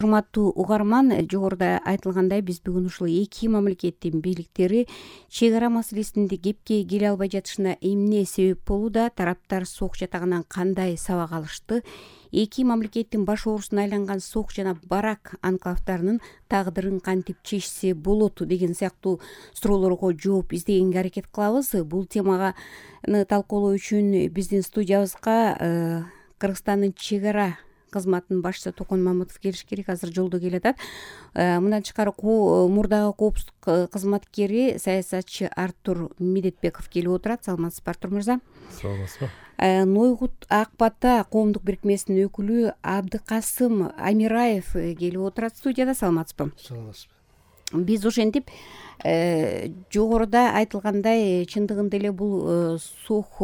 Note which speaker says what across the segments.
Speaker 1: Урматтуу угарман, жогоруда айтылгандай биз бүгүн ушул эки мамлекеттин бийликтери чек ара маселесинде кепке келе албай жатышына эмне себеп болууда, тараптар сок жатагынан кандай сабак алышты, эки мамлекеттин баш оорусуна айланган сок жана барак анклавдарынын тагдырын кантип чечсе болот деген сыяктуу суроолорго жооп издегенге аракет кылабыз. Бул теманы талкуулоо үчүн биздин студиябызга Кыргызстандын чек ара кызматынын башчысы Токон Мамытов келиш керек, азыр жолдо келатат. Мындан тышкары мурдагы коопсуздук кызматкери саясатчы Артур Медетбеков келип отурат. Саламатсызбы, Артур мырза?
Speaker 2: Саламатсызбы.
Speaker 1: Нойгут Ак Бата коомдук бирикмесинин өкүлү Абдыкасым Амираев келип отурат студияда. Саламатсызбы?
Speaker 2: Саламатсызбы.
Speaker 1: Биз ошентип жогоруда айтылгандай чындыгында эле бул сок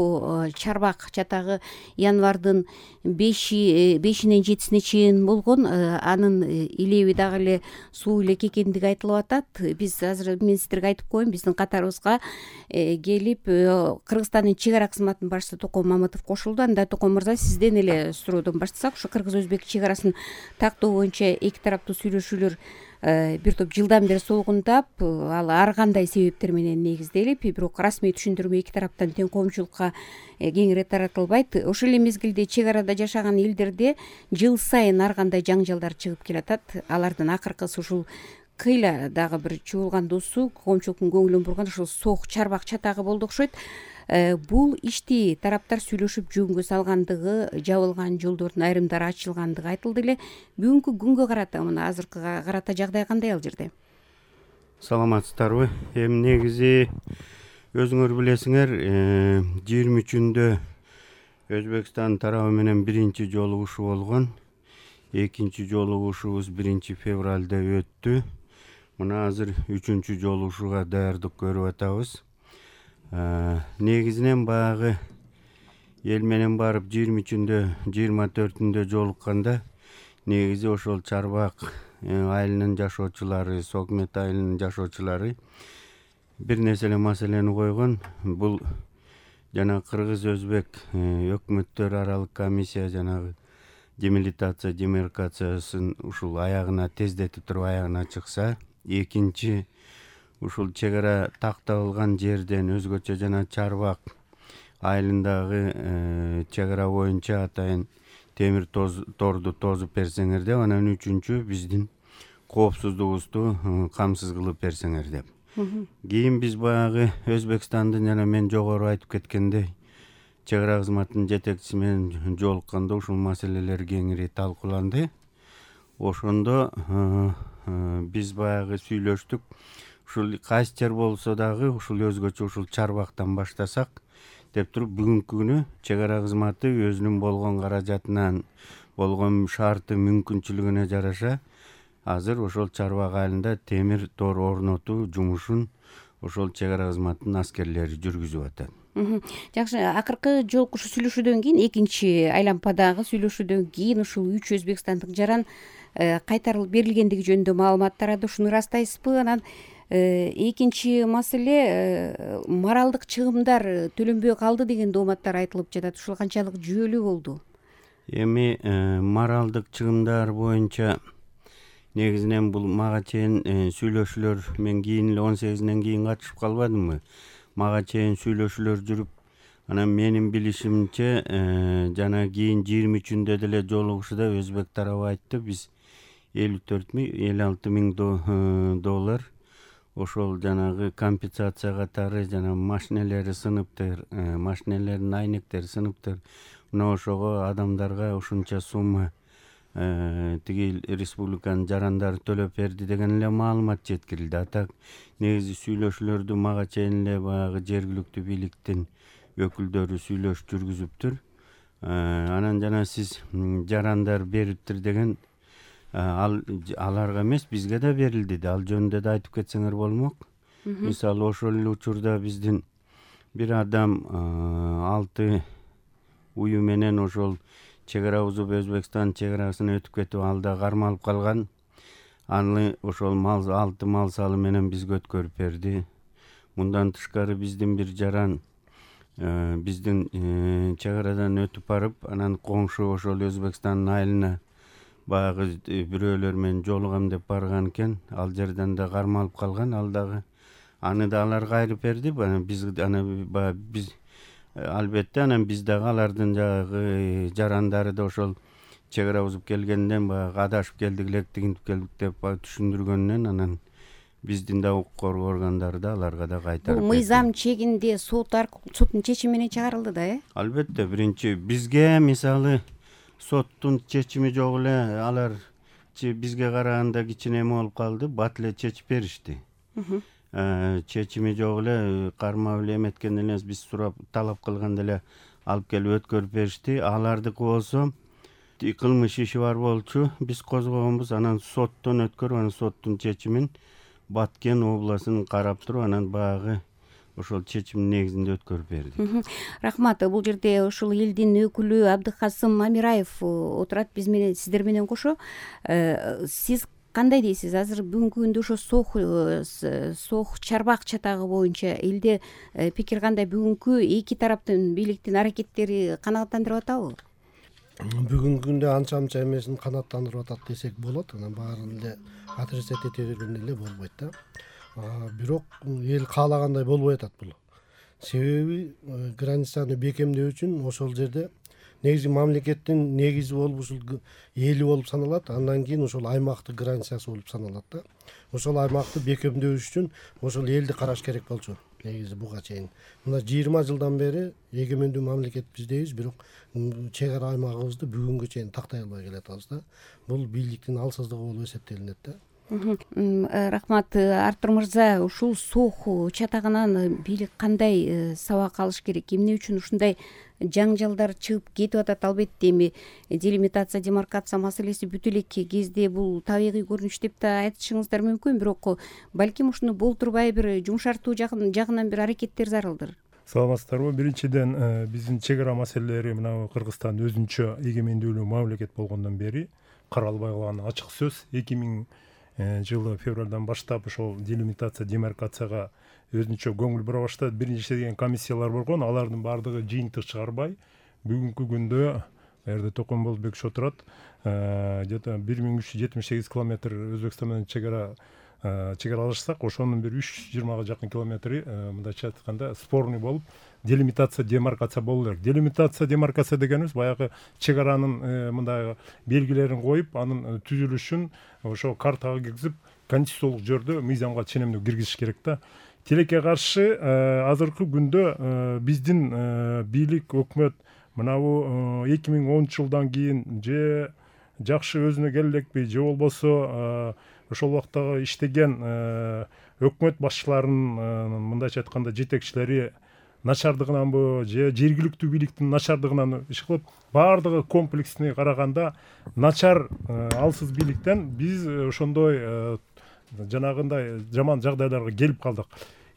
Speaker 1: чарбак чатагы январдын 5-нен 7-сине чейин болгон. Анын илеби дагы эле суу эле экендиги айтылып атат. Биз азыр мен сиздерге айтып коеюн, биздин катарыбызга келип Кыргызстандын чек ара кызматынын башчысы Токон Мамытов кошулду. Анда Токон мырза, сизден эле суроодон баштасак, ушу кыргыз-өзбек чек арасын тактоо боюнча эки тараптуу сүйлөшүүлөр бир топ жылдан бери солгундап, ал ар кандай себептер менен негизделип, бирок расмий түшүндүрмө эки тараптан тең коомчулукка кеңири таратылбайт. Ошол эле мезгилде чек арада жашаган элдерде жыл сайын ар кандай жаңжалдар чыгып келатат. Алардын акыркысы ушул кыйла дагы бир чуулгандуусу коомчулуктун көңүлүн бурган ушул сок чарбак чатагы болду окшойт. Бул ишти тараптар сүйлөшүп жөнгө салгандыгы, жабылган жолдордун айрымдары ачылгандыгы айтылды эле. Бүгүнкү күнгө карата, мына азыркыга карата жагдай кандай ал жерде?
Speaker 2: Саламатсыздарбы? Негизи өзүңөр билесиңер, 23-үндө Өзбекстан тарабы менен биринчи жолугушуу болгон. Экинчи жолугушуубуз 1-февралда өттү. Мына азыр 3-чү жолугушууга даярдык көрүп атабыз. Негизинен баягы эл менен барып 23-үндө 24-үндө жолукканда негизи ошол чарбак айылынын жашоочулары, Сокмет айылынын жашоочулары бир нерселе маселени койгон. Бул жана кыргыз-өзбек өкмөттөр аралык комиссия жанагы демаркациясын ушул аягына тездетип туруп аягына чыкса, экинчи ушул чек ара такталган жерден өзгөчө жана чарбак айылындагы чек ара боюнча атайын темир торду тозуп берсеңер деп, анан үчүнчү биздин коопсуздугубузду камсыз кылып берсеңер деп. Кийин биз баягы Өзбекстандын жана мен жогору айтып кеткендей чек ара кызматынын жетекчиси менен жолукканда ушул маселелер кеңири талкууланды. Ошондо биз баягы сүйлөштүк. Ушул кайсы жер болсо дагы ушул өзгөчө ушул чарбактан баштасак деп туруп, бүгүнкү күнү чек ара кызматы өзүнүн болгон каражатынан, болгон шарты, мүмкүнчүлүгүнө жараша азыр ошол чарбак айылында темир тор орнотуу жумушун ошол чек ара кызматынын аскерлери жүргүзүп атат.
Speaker 1: Жакшы, акыркы жолку сүйлөшүүдөн кийин, экинчи айлампадагы сүйлөшүүдөн кийин ушул 3 өзбекстандык жаран кайтарылып берилгендиги жөнүндө маалымат тарады. Ушуну ырастайсызбы? Анан экинчи маселе, моралдык чыгымдар төлөнбөй калды деген дооматтар айтылып жатат. Ушул канчалык жүйөлүү болду?
Speaker 2: Эми моралдык чыгымдар боюнча негизинен бул мага чейин сүйлөшүүлөр, мен кийин эле 18-ден кийин катышып калбадымбы? Мага чейин сүйлөшүүлөр жүрүп, анан менин билишимче жана кийин 23-үндө деле жолугушууда өзбек тарабы айтты, биз 56 миң доллар ошол жанагы компенсация катары, жана машинелери сыныптыр, машинелердин айнектери сыныптыр, мына ошого адамдарга ушунча сумма тиги республиканын жарандары төлөп берди деген эле маалымат жеткирилди. Атак негизи сүйлөшүүлөрдү мага чейин эле баягы жергиликтүү бийликтин өкүлдөрү сүйлөшүп жүргүзүптүр. Анан жана сиз жарандар бериптир деген, аларга эмес, бизге да берилди да, ал жөнүндө да айтып кетсеңер болмок. Мисалы, ошол эле учурда биздин бир адам 6 уyu менен ошол чек ара бузуп Өзбекстан чек арасына өтүп кетип, ал да кармалып калган. Аны ошол 6 мал салы менен бизге өткөрүп берди. Мындан тышкары биздин бир жаран биздин чек арадан өтүп барып, анан коңшу ошол Өзбекстандын айылына баягы бирөөлөр менен жолугам деп барган экен, ал жерден да кармалып калган, ал дагы аны да алар кайрып берди. Биз баягы биз албетте анан биз дагы алардын жанагы жарандары да ошол чек ара бузуп келгенден баягы адашып келдик элек, тигинтип келдик деп түшүндүргөндөн анан биздин да укук коргоо органдары да аларга да кайтарып
Speaker 1: бул мыйзам чегинде соттун чечими менен чыгарылды да,
Speaker 2: Албетте, биринчи бизге мисалы соттун чечими жок эле, алар бизге караганда кичине эме болуп калды, бат эле чечип беришти. Чечими жок эле, кармап эле эметкен эле, биз сурап талап кылганда эле алып келип өткөрүп беришти. Алардыкы болсо кылмыш иши бар болчу, биз козгогонбуз, анан соттон өткөрүп, анан соттун чечимин Баткен областын карап туруп, анан баягы ошол чечимдин негизинде өткөрүп берди.
Speaker 1: Рахмат. Бул жерде ушул элдин өкүлү Абдыкасым Амираев отурат биз менен, сиздер менен кошо. Сиз кандай дейсиз? Азыр бүгүнкү күндө ошо сох чарбак чатагы боюнча элде пикир кандай? Бүгүнкү эки тараптын бийликтин аракеттери канааттандырып атабы?
Speaker 3: Бүгүнкү күндө анча эмесин канааттандырып атат десек болот. Анан баарын эле отрицать эте бергенде эле болбойт да. Бирок эл каалагандай болбой атат бул. Себеби границаны бекемдөө үчүн ошол жерде негизи мамлекеттин негизи болуп ушул эли болуп саналат. Андан кийин ошол аймактын границасы болуп саналат да. Ошол аймакты бекемдөө үчүн ошол элди караш керек болчу. Негизи буга чейин мына 20 жылдан бери эгемендүү мамлекет биздейбиз, бирок чек ара аймагыбызды бүгүнгө чейин тактай албай келатабыз да. Бул бийликтин алсыздыгы болуп эсептелинет да.
Speaker 1: Рахмат. Артур мырза, ушул сох чатагынан бийлик кандай сабак алыш керек? Эмне үчүн ушундай жаңжалдар чыгып кетип атат? Албетте эми делимитация, демаркация маселеси бүтө элек кезде бул табигый көрүнүш деп да айтышыңыздар мүмкүн, бирок балким ушуну болтурбай бир жумшартуу жагынан бир аракеттер зарылдыр.
Speaker 4: Саламатсыздарбы? Биринчиден биздин чек ара маселелери мына Кыргызстан өзүнчө эгемендүүлүү мамлекет болгондон бери каралбай калганы ачык сөз. 2000 жылы февралдан баштап ошол делимитация, демаркацияга өзүнчө көңүл бура баштады. Биринчи деген комиссиялар болгон, алардын баардыгы жыйынтык чыгарбай бүгүнкү күндө жерде Токомболбек отурат, где-то 1378 километр Өзбекстан менен чек аралашсак, ошонун бир 320 жакын километри мындайча айтканда спорный болуп, делимитация, демаркация болуу керек. Делимитация, демаркация дегенибиз баягы чек аранын мындай белгилерин коюп, анын түзүлүшүн ошо картага киргизип, конституциялык жөрдө мыйзамга ченемдүү киргизиш керек да. Тилекке каршы азыркы күндө биздин бийлик, өкмөт мынабу 2010 жылдан кийин же жакшы өзүнө келелекпи, же болбосо ошол убактагы иштеген өкмөт башчыларынын мындайча айтканда жетекчилери начардыгынанбы, же жергиликтүү бийликтин начардыгынан иш кылып, баардыгы комплексный караганда начар алсыз бийликтен биз ошондой жанагындай жаман жагдайларга келип калдык.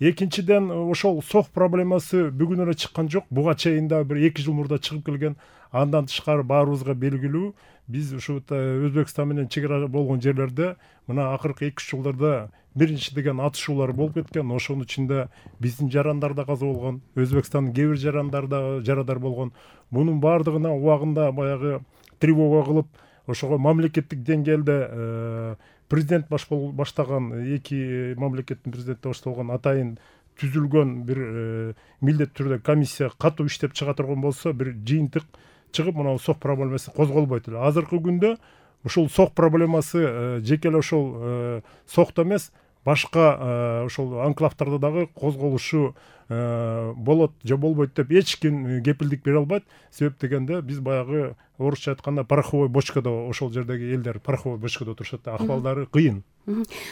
Speaker 4: Экинчиден, ошол сох проблемасы бүгүн эле чыккан жок. Буга чейин да бир 2 жыл мурда чыгып келген. Андан тышкары баарыбызга белгилүү, биз ушу Өзбекстан менен чек ара болгон жерлерде мына акыркы 2-3 жылдарда биринчи деген атышуулар болуп кеткен. Ошонун ичинде биздин жарандар да каза болгон, Өзбекстандын кээ бир жарандар да жарадар болгон. Мунун баардыгына убагында баягы тревога кылып, ошого мамлекеттик деңгээлде президент баштаган, эки мамлекеттин президенти башталган атайын түзүлгөн бир милдет түрдө комиссия катуу иштеп чыга турган болсо, бир жыйынтык чыгып, мына сох проблемасы козголбойт эле. Азыркы күндө ушул сох проблемасы жеке эле ошол сохто эмес, башка ошол анклавтарда дагы козголушу болот же болбойт деп эч ким кепилдик бере албайт. Себеп дегенде биз баягы орусча айтканда пороховой бочкада, ошол жердеги элдер пороховой бочкада отурушат да, акыбалдары кыйын.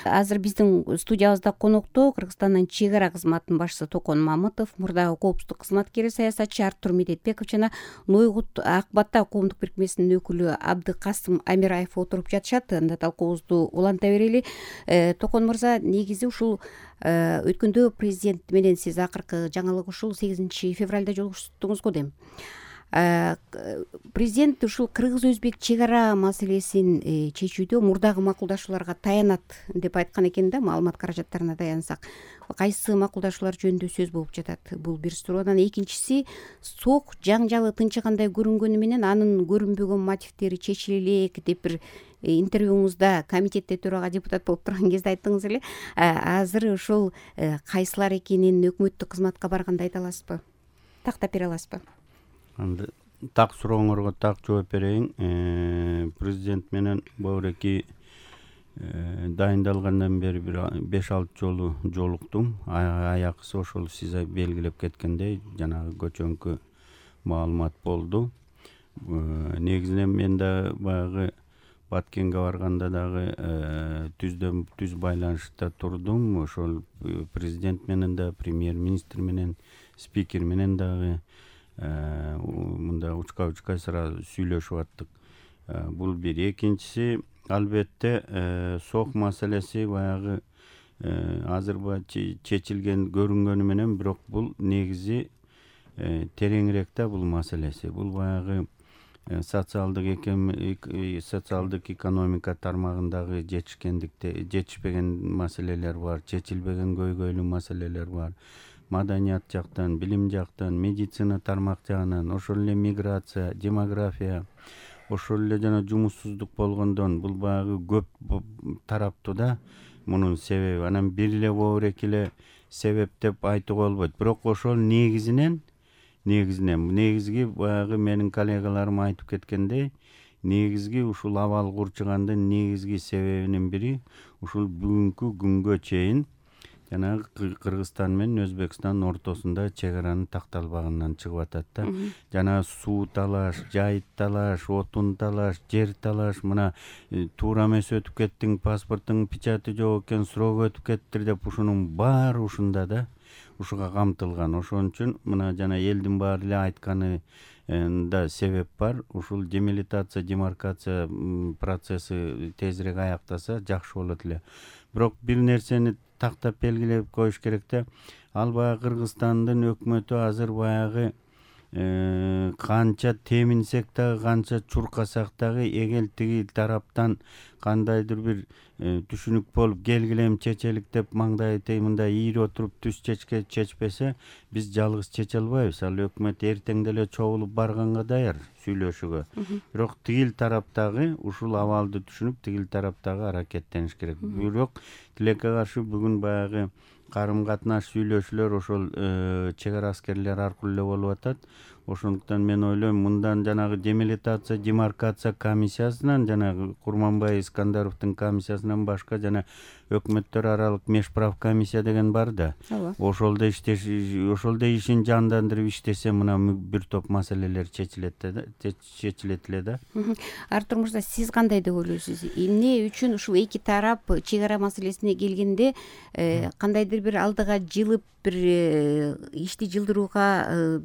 Speaker 1: Азыр биздин студиябызда конокто Кыргызстандын чек ара кызматынын башчысы Токон Мамытов, мурдагы коопсуздук кызматкери, саясатчы Артур Медетбеков жана Нойгут Ак Бата коомдук бирикмесинин өкүлү Абдыкасым Амираев отуруп жатышат. Анда талкуубузду уланта берели. Токон мырза, негизи ушул өткөндө президент менен сиз акыркы жаңылык ушул 8 февралда жолугуштуңуз го дейм. Президент ушул кыргыз-өзбек чек ара маселесин чечүүдө мурдагы макулдашууларга таянат деп айткан экен да, маалымат каражаттарына таянсак. Кайсы макулдашуулар жөнүндө сөз болуп жатат? Бул бир суроо. Анан экинчиси, сок жаңжалы тынчыгандай көрүнгөнү менен анын көрүнбөгөн мотивдери чечиле элек деп бир интервьюңузда комитетте төрага депутат болуп турган кезде айттыңыз эле. Азыр ошол кайсылар экенин өкмөттүк кызматка барганда айта аласызбы? Тактап бере аласызбы?
Speaker 2: Анда так сурооңорго так жооп берейин. Президент менен Бауреки дайындалгандан бери бир 5-6 жолу жолуктум. Аякысы ошол сиз белгилеп кеткендей жанагы көчөңкү маалымат болду. Негизинен мен да баягы Баткенге барганда дагы түз байланышта турдум. Ошол президент менен да, премьер-министр менен, спикер менен дагы мында учка сыра сүйлөшүп аттык. Бул бир. Экинчиси, албетте сок маселеси баягы азыр чечилген көрүнгөнү менен, бирок бул негизи тереңирээк да бул маселеси. Бул баягы социалдык экономика тармагындагы жетишпеген маселелер бар, чечилбеген көйгөйлүү маселелер бар. Маданият жактан, билим жактан, медицина тармак жагынан, ошол эле миграция, демография, ошол эле жана жумуссуздук болгондон бул баягы көп тараптуу да мунун себеби. Анан бир эле боорек эле себеп деп айтууга болбойт. Бирок ошол негизинен негизги баягы менин коллегаларым айтып кеткендей, негизги ушул абал курчугандын негизги себебинин бири ушул бүгүнкү күнгө чейин жанагы Кыргызстан менен Өзбекстан ортосунда чек аранын такталбаганынан чыгып атат да. Жана суу талаш, жайыт талаш, отун талаш, жер талаш, мына туура эмес өтүп кеттиң, паспорттун печати жок экен, срок өтүп кеттир деп ушунун баары ушунда да, ушуга камтылган. Ошон үчүн мына жана элдин баары эле айтканы да себеп бар. Ушул демилитация, демаркация процесси тезирээк аяктаса жакшы болот эле. Бирок бир нерсени тактап белгилеп коюш керек да. Ал баягы Кыргызстандын өкмөтү азыр баягы канча теминсек дагы, канча чуркасак дагы, эгер тиги тараптан кандайдыр бир түшүнүк болуп келгилем чечелик деп маңдайы мындай ийири отуруп түз чечпесе, биз жалгыз чече албайбыз. Ал өкмөт эртең деле чогулуп барганга даяр сүйлөшүүгө. Бирок тигил тараптагы ушул абалды түшүнүп, тигил тараптагы аракеттениш керек. Бирок тилекке каршы бүгүн баягы карым-катнаш сүйлөшүүлөр ошол чек ара аскерлер аркылуу эле болуп атат. Ошондуктан мен ойлойм, мындан жанагы демилитация, демаркация комиссиясынан, жанагы Курманбай Искандаровдун комиссиясынан башка жана өкмөттөр аралык межправ комиссия деген бар да. Ошолдо ишин жандандырып иштесе, мына бир топ маселелер чечилет эле да.
Speaker 1: Артур мырза, сиз кандай деп ойлойсуз? Эмне үчүн ушул эки тарап чек ара маселесине келгенде кандайдыр бир алдыга жылып, бир ишти жылдырууга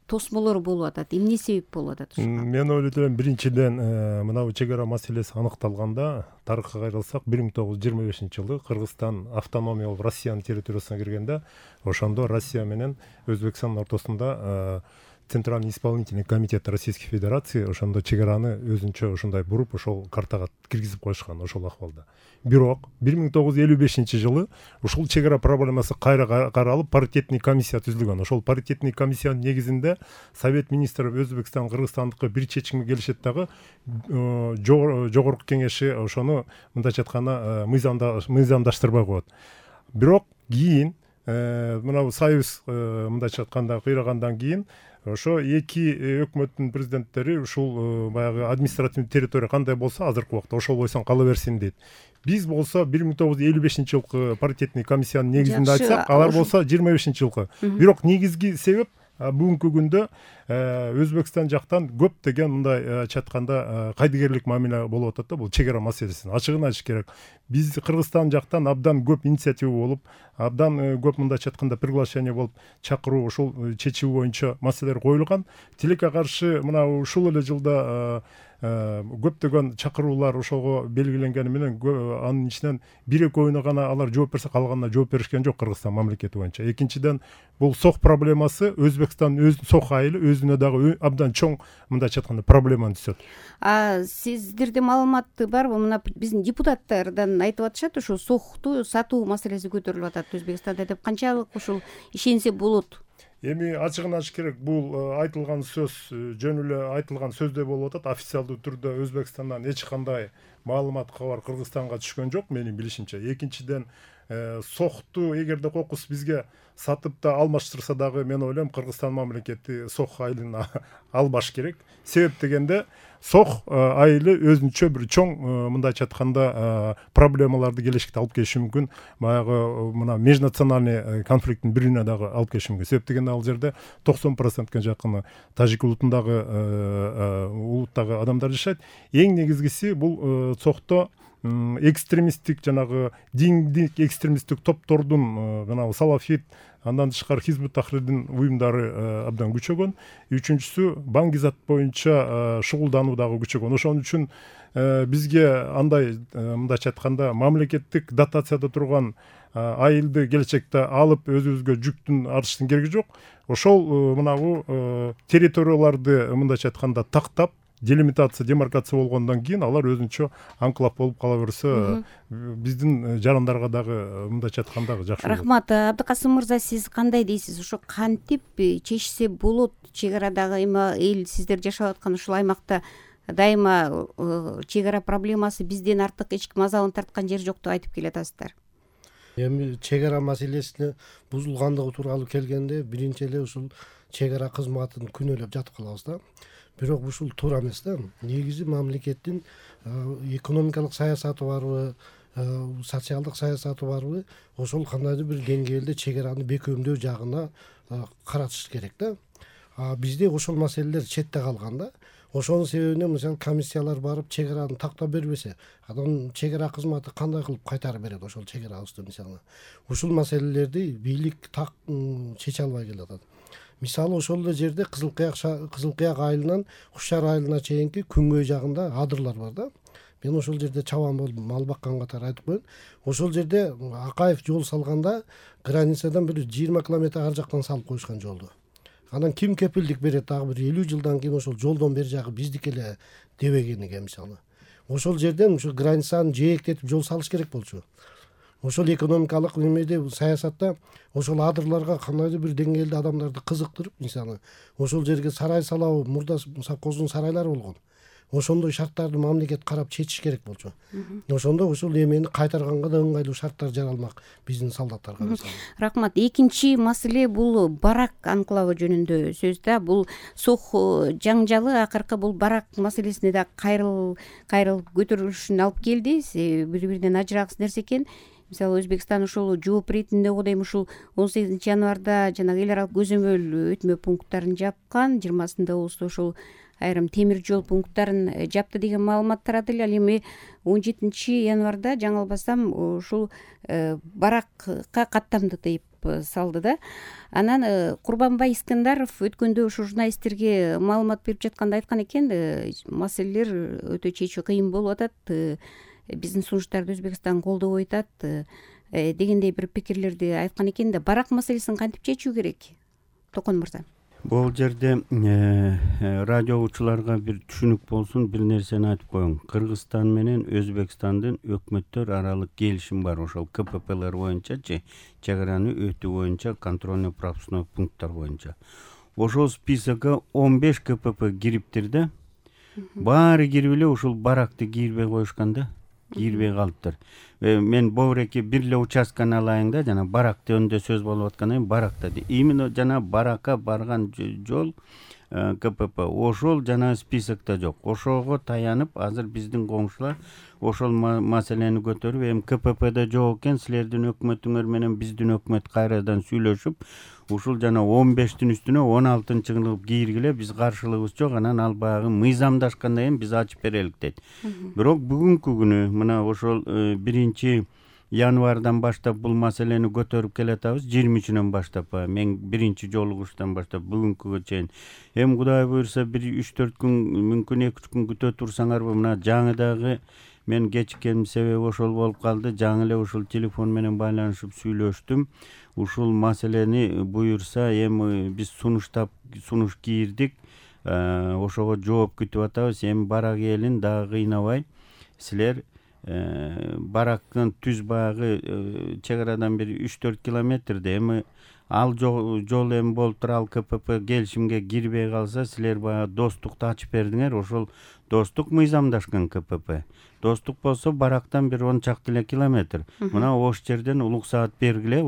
Speaker 1: тосмолор болуп атат? Эмне себеп болуп атат ушуга?
Speaker 4: Мен ойлойт элем, биринчиден мына чек ара маселеси аныкталганда, тарыхка кайрылсак, 1925-жылы Кыргызстан автономия болуп Россиянын территориясына киргенде, ошондо Россия менен Өзбекстандын ортосунда Центральный исполнительный комитет Российской Федерации ошондо чек араны өзүнчө ушундай буруп, ошол картага киргизип коюшкан ошол акыбалда. Бирок 1955-жылы ушул чек ара проблемасы кайра каралып, паритетный комиссия түзүлгөн. Ошол паритетный комиссиянын негизинде Совет министрлери Өзбекстан, Кыргызстандыкы бир чечимге келишет дагы, жогорку кеңеши ошону мындайча айтканда мыйзамдаштырбай коет. Бирок кийин мына союз мындайча айтканда кыйрагандан кийин ошо эки өкмөттүн президенттери ушул баягы административный территория кандай болсо азыркы убакта ошол бойсон кала берсин дейт. Биз болсо 1955-жылкы паритетный комиссиянын негизинде айтсак, алар болсо 25-жылкы. Бирок негизги себеп бүгүнкү күндө Өзбекстан жактан көптөгөн мындай айтканда кайдыгерлик мамиле болуп атат да, бул чек ара маселесин. Ачыгын айтыш керек. Биз Кыргызстан жактан абдан көп инициатива болуп, абдан көп мындай айтканда приглашение болуп, чакыруу ушул чечүү боюнча маселелер коюлган. Тилекке каршы мына ушул эле жылда көптөгөн чакыруулар ошого белгиленгени менен анын ичинен 1-2 гана алар жооп берсе, калганына жооп беришкен жок Кыргызстан мамлекети боюнча. Экинчиден, бул сок проблемасы Өзбекстандын сок айылы өзүнө дагы абдан чоң, мындайча айтканда, проблеманы түзөт.
Speaker 1: Сиздерде маалымат барбы? Мына биздин депутаттардан айтып атышат, ушул сокту сатуу маселеси көтөрүлүп атат Өзбекстанда деп. Канчалык ушул ишенсе болот?
Speaker 4: Эми ачыгын айтыш керек, бул айтылган сөз жөн эле айтылган сөздөй болуп атат. Официалдуу түрдө Өзбекстандан эч кандай маалымат, кабар Кыргызстанга түшкөн жок менин билишимче. Экинчиден, сокту эгерде кокус бизге сатып да алмаштырса дагы, мен ойлойм Кыргызстан мамлекети сок айылын албаш керек. Себеп дегенде, сок айылы өзүнчө бир чоң, мындайча айтканда, проблемаларды келечекте алып келиши мүмкүн. Баягы мына межнациональный конфликттин бирине дагы алып келиши мүмкүн. Себеп дегенде, ал жерде 90%га жакын тажик улутундагы улуттагы адамдар жашайт. Эң негизгиси бул сокто экстремисттик, жанагы диндик экстремисттик топтордун, мына салафит, андан тышкары Хизбут Тахрирдин уюмдары абдан күчөгөн. Үчүнчүсү, баңгизат боюнча шугулдануу дагы күчөгөн. Ошон үчүн бизге андай, мындайча айтканда, мамлекеттик дотацияда турган айылды келечекте алып өзүбүзгө жүктүн артыштын кереги жок. Ошол мынагу территорияларды, мындайча айтканда, тактап, делимитация, демаркация болгондон кийин алар өзүнчө анклав болуп кала берсе, биздин жарандарга дагы, мындайча айтканда, жакшы болот.
Speaker 1: Рахмат. Абдыкасым мырза, сиз кандай дейсиз? Ошо кантип чечсе болот? Чек арадагы эл, сиздер жашап аткан ушул аймакта дайыма чек ара проблемасы бизден артык эч ким азабын тарткан жер жок деп айтып келатасыздар.
Speaker 3: Эми чек ара маселесине бузулгандыгы тууралуу келгенде, биринчи эле ушул чек ара кызматын күнөөлөп жатып калабыз да. Бирок ушул туура эмес да. Негизи мамлекеттин экономикалык саясаты барбы, социалдык саясаты барбы, ошол кандайдыр бир деңгээлде чек араны бекемдөө жагына каратыш керек да. Бизде ошол маселелер четте калган да. Ошонун себебинен, мисалы, комиссиялар барып чек араны тактап бербесе, анан чек ара кызматы кандай кылып кайтарып берет ошол чек арабызды, мисалы. Ушул маселелерди бийлик так чече албай келатат. Мисалы, ошол эле жерде Кызыл Кыяк айылынан Кушар айылына чейинки күнгөй жагында адырлар бар да. Мен ошол жерде чабан болуп мал баккан катары айтып коеюн. Ошол жерде Акаев жол салганда границадан бир 20 километр ар жактан салып коюшкан жолду. Анан ким кепилдик берет, дагы бир 50 жылдан кийин ошол жолдон бери жагы биздики эле дебегениге, мисалы. Ошол жерден ушул границаны жээктетип жол салыш керек болчу. Ошол экономикалык немеде, саясатта ошол адырларга кандайдыр бир деңгээлде адамдарды кызыктырып, мисалы, ошол жерге сарай салабы, мурда совхоздун сарайлары болгон. Ошондой шарттарды мамлекет карап чечиш керек болчу. Ошондо ошол эмени кайтарганга да ыңгайлуу шарттар жаралмак биздин солдаттарга, мисалы.
Speaker 1: Рахмат. Экинчи маселе бул барак анклавы жөнүндө сөз да. Бул сох жаңжалы акыркы бул барак маселесине да кайрылып көтөрүлүшүн алып келди. Бири-биринен ажырагыс нерсе экен. Мисалы, Өзбекстан ушул жооп иретинде кодойм ушул 18 январда жанагы эл аралык көзөмөл өтмө пункттарын жапкан, 20 Ооздо ушул айрым темир жол пункттарын жапты деген маалымат тарады эле. Ал эми 17 январда жаңылбасам ушул баракка каттамды деп салды да. Анан Курбанбай Искандаров өткөндө ушу журналисттерге маалымат берип жатканда айткан экен, маселелер өтө чечүү кыйын болуп атат, биздин сунуштарды Өзбекстан колдобой атат дегендей бир пикирлерди айткан экен да. Барак маселесин кантип чечүү керек, Токон мырза?
Speaker 2: Бул жерде радио угуучуларга бир түшүнүк болсун, бир нерсени айтып коеюн. Кыргызстан менен Өзбекстандын өкмөттөр аралык келишим бар, ошол КППлер боюнчачы, чек араны өтүү боюнча, контрольно-пропускной пункттар боюнча. Ошол списокко 15 КПП кириптир да. Баары кирип эле ушул баракты кийирбей коюшкан да. Кийирбей калыптыр. Мен бобуреки бир эле участканы алайын да, жана барак жөнүндө сөз болуп аткандан кийин баракта. Именно жана баракка барган жол КПП ошол жана списокто жок. Ошого таянып азыр биздин коңшулар ошол маселени көтөрүп, эми КППде жок экен, силердин өкмөтүңөр менен биздин өкмөт кайрадан сүйлөшүп, ушул жана 15-тин үстүнө 16-жылы кийиргиле, биз каршылыгыбыз жок, анан ал баягы мыйзамдашкандан кийин биз ачып берелик дейт. Бирок бүгүнкү күнү мына ошол 1 январдан баштап бул маселени көтөрүп келатабыз. 23-нөн баштап мен биринчи жолугуштан баштап бүгүнкүгө чейин. Эми Кудай буйрса 1-3-4 күн, мүмкүн 2-3 күн күтө турсаңарбы, мына жаңыдагы мен кечиккеним себеби ошол болуп калды. Жаңы эле ушул телефон менен байланышып сүйлөштүм. Ушул маселени буйрса эми биз сунуш кийирдик. Ошого жооп күтүп атабыз. Эми барак элин дагы кыйнабай, силер барактын түз баягы чек арадан бир 3-4 километрде. Эми ал жол эми болуп тура, ал КПП келишимге кирбей калса, силер баягы достукту ачып бердиңер. Ошол достук мыйзамдашкан КПП. Достук болсо барактан бир 10 чакты эле километр. Мына ош жерден улук саат бергиле,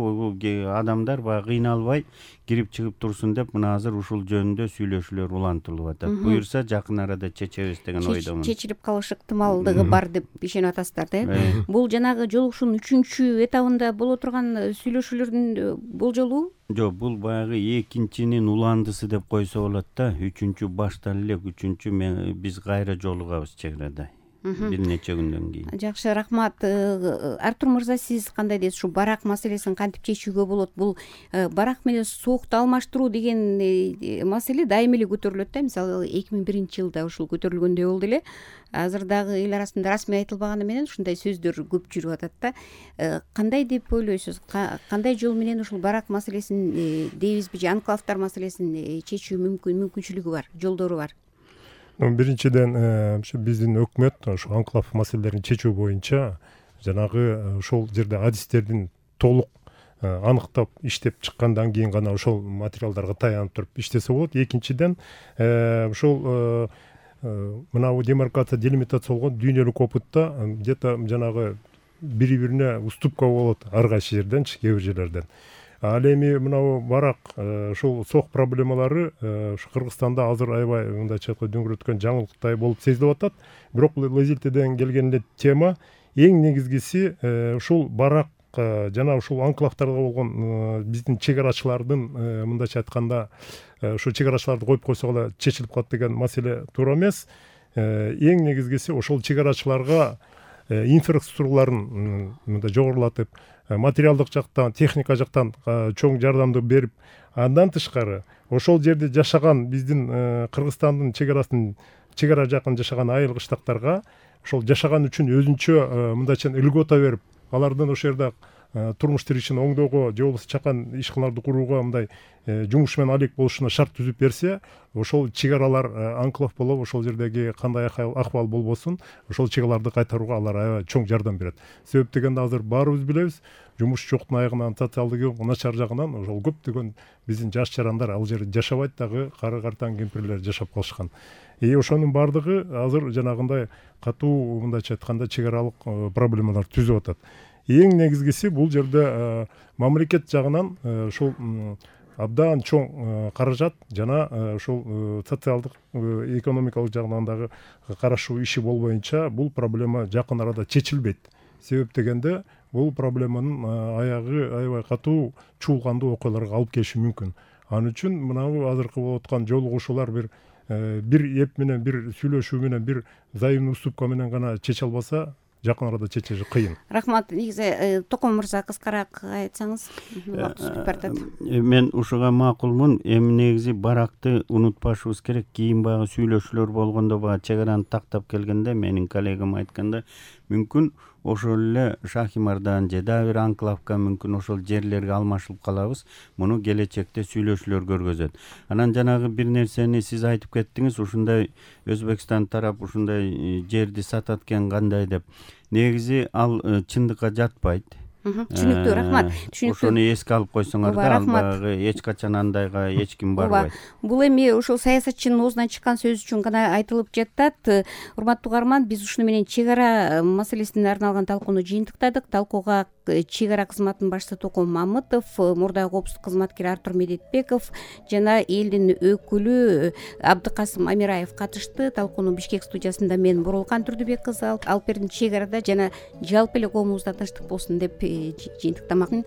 Speaker 2: адамдар баягы кыйналбай кирип чыгып турсун деп, мына азыр ушул жөнүндө сүйлөшүүлөр улантылып атат. Буюрса жакын арада чечебиз деген ойдомун.
Speaker 1: Чечилип калыш ыктымалдыгы бар деп ишенип атасыздар да. Бул жанагы жолугушуунун 3-чү этабында боло турган сүйлөшүүлөрдүн болжолу?
Speaker 2: Жок, бул баягы экинчинин уландысы деп койсо болот да. 3-чү баштан эле, 3-чү биз кайра жолугабыз чек арада. Бир нече күндөн кийин.
Speaker 1: Жакшы, рахмат. Артур мырза, сиз кандай дейсиз? Ушу барак маселесин кантип чечүүгө болот? Бул барак менен суукту алмаштыруу деген маселе дайыма эле көтөрүлөт да. Мисалы 2001-жылда ушул көтөрүлгөндөй болду эле. Азыр дагы эл арасында расмий айтылбаганы менен ушундай сөздөр көп жүрүп атат да. Кандай деп ойлойсуз? Кандай жол менен ушул барак маселесин дейбизби, же анклавдар маселесин чечүү мүмкүнчүлүгү бар, жолдору бар?
Speaker 4: Биринчиден, биздин өкмөт ошо анклав маселелерин чечүү боюнча жанагы ошол жерде адистердин толук аныктап иштеп чыккандан кийин гана ошол материалдарга таянып туруп иштесе болот. Экинчиден, ошол мынабу демаркация, делимитация болгон дүйнөлүк опытта где-то жанагы бири-бирине уступка болот ар кайсы жерден, кээ бир жерлерден. Ал эми мынабу барак ушул сок проблемалары ушу Кыргызстанда азыр аябай мындайча айтканда дөңгөрөткөн жаңылыктай болуп сезилип атат. Бирок бул Лазилтеден келген эле тема. Эң негизгиси ушул барак жана ушул анклавдарга болгон биздин чек арачылардын мындайча айтканда ушу чек арачыларды коюп койсок эле чечилип калат деген маселе туура эмес. Эң негизгиси ошол чек арачыларга инфраструктураларын мындай жогорулатып, материалдык жактан, техника жактан чоң жардамды берип, андан тышкары ошол жерде жашаган биздин Кыргызстандын чек ара жакын жашаган айыл кыштактарга ошол жашаган үчүн өзүнчө мындайча льгота берип, алардын ошол жерде турмуш тиричин оңдоого же болбосо чакан ишканаларды курууга мындай жумуш менен алек болушуна шарт түзүп берсе, ошол чек аралар анклав болуп, ошол жердеги кандай акыбал болбосун, ошол чек араларды кайтарууга алар аябай чоң жардам берет. Себеп дегенде азыр баарыбыз билебиз, жумуш жоктун айыгынан, социалдык начар жагынан ошол көптөгөн биздин жаш жарандар ал жерде жашабайт дагы, кары картаң кемпирлер жашап калышкан. Ошонун баардыгы азыр жанагындай катуу мындайча айтканда чек аралык проблемалар түзүп атат. Эң негизгиси бул жерде мамлекет жагынан ушул абдан чоң каражат жана ушул социалдык, экономикалык жагынан дагы карашуу иши болбоюнча бул проблема жакын арада чечилбейт. Себеп дегенде бул проблеманын аягы аябай катуу чуулгандуу окуяларга алып келиши мүмкүн. Ал үчүн мынабу азыркы болуп аткан жолугушуулар бир эп менен, бир сүйлөшүү менен, бир взаимный уступка менен гана чече албаса, жакын арада чечиши кыйын.
Speaker 1: Рахмат. Негизи Током мырза кыскараак айтсаңыз, убакыт сүзүп баратат.
Speaker 2: Мен ушуга макулмун. Эми негизи баракты унутпашыбыз керек. Кийин баягы сүйлөшүүлөр болгондо баягы чек араны тактап келгенде менин коллегам айтканда, мүмкүн ошол эле Шахимардан же дагы бир анклавка мүмкүн ошол жерлерге алмашылып калабыз. Муну келечекте сүйлөшүүлөр көргөзөт. Анан жанагы бир нерсени сиз айтып кеттиңиз, ушундай Өзбекстан тарап ушундай жерди сатат экен кандай деп. Негизи ал чындыкка жатпайт.
Speaker 1: Түшүнүктүү, рахмат.
Speaker 2: Ошону эске алып койсоңор да, албагы эч качан андайга эч ким барбайт.
Speaker 1: Бул эми ошол саясатчынын оозунан чыккан сөз үчүн гана айтылып жатат. Урматтуу угарман, биз ушуну менен чек ара маселесине арналган талкууну жыйынтыктадык. Талкууга чек ара кызматынын башчысы Током Мамытов, мурдагы коопсуздук кызматкери Артур Медетбеков жана элдин өкүлү Абдыкасым Амираев катышты. Талкууну Бишкек студиясында мен Боролкан Түрдүбек кызы алып бердим. Чек арада жана жалпы эле коомубузда тынчтык болсун деп жыйынтыктамакмын.